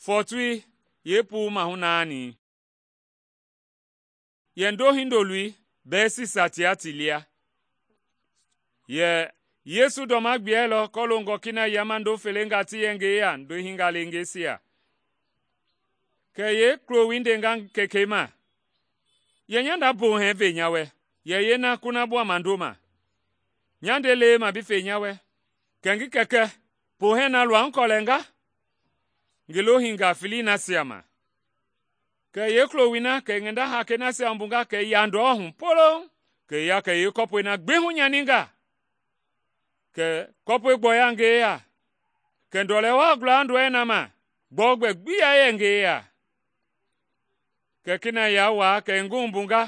Fɔɔtoi yeepuu mahu naani. Yɛ ndo hindoloi bɛɛsisa tia ti lia. Yɛ Yesu ndɔma gbiɛlɔ kɔloongɔ kina yama ndo felengaa ti yɛ ngi yeya ndo hinga lengeisia. Kɛ yeekuloi ndenga kekei ma, “Yɛ nya nda poohɛɛ ve nya wɛ, yɛ yeena kunabua ndoma. Nya nde lee ma bi fe nya wɛ? Kɛ ngi kɛkɛ poohɛɛ na lua nkɔlɛnga ngi lohingaa felei nasia ma.” Kɛ yeekuloi na kɛ i ngi nda hakei nasia wumbunga kɛ i ya ndɔ hu polouŋ, kɛ i ya kɛ yeekɔpɔi na gbi hunyaninga. Kɛ kɔpɔi gbɔya ngi yeya, kɛ ndɔlɛ wa gula ndɔi na ma, gbɔugbɛ gbi ya yɛ ngi yeya. Kɛ kina ya waa kɛ i ngi wumbunga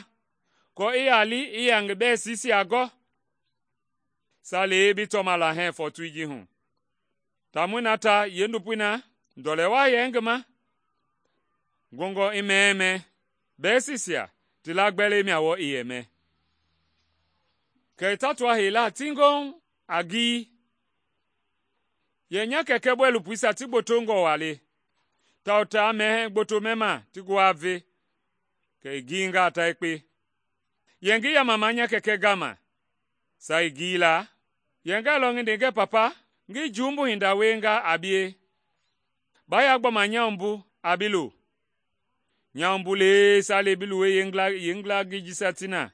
aako i ya li i ya ngi bɛɛsisia gɔ. Saalei bi tɔma la hɛɛ fɔɔtoi ji hu. Taamɔi na ta yeendopoi na ndɔlɛ wa yɛ ngi ma, ngɔngɔ i mɛɛmɛ, bɛɛsisia ti lagbɛlɛi mia wɔɔ i yɛ mɛ. Kɛ i tatua heila tiŋgoŋ a gii. Yɛ nya kɛkɛ bɔilopoisia ti gbotongɔ waa le, tawao taa mɛhɛɛ gboto mɛma ti nguaa ve, kɛ i giinga ta yekpe. Yɛ ngi yamama nya kɛkɛ gama. Saa i giila, yɛ ngailɔ ngi nde ngɛ papa, ngi jumbu hinda wienga a bie. Ba ya gbɔma nya wumbu a bi lo. Nya wumbu lee saa le bi luwei yeengila gii jisia ti na.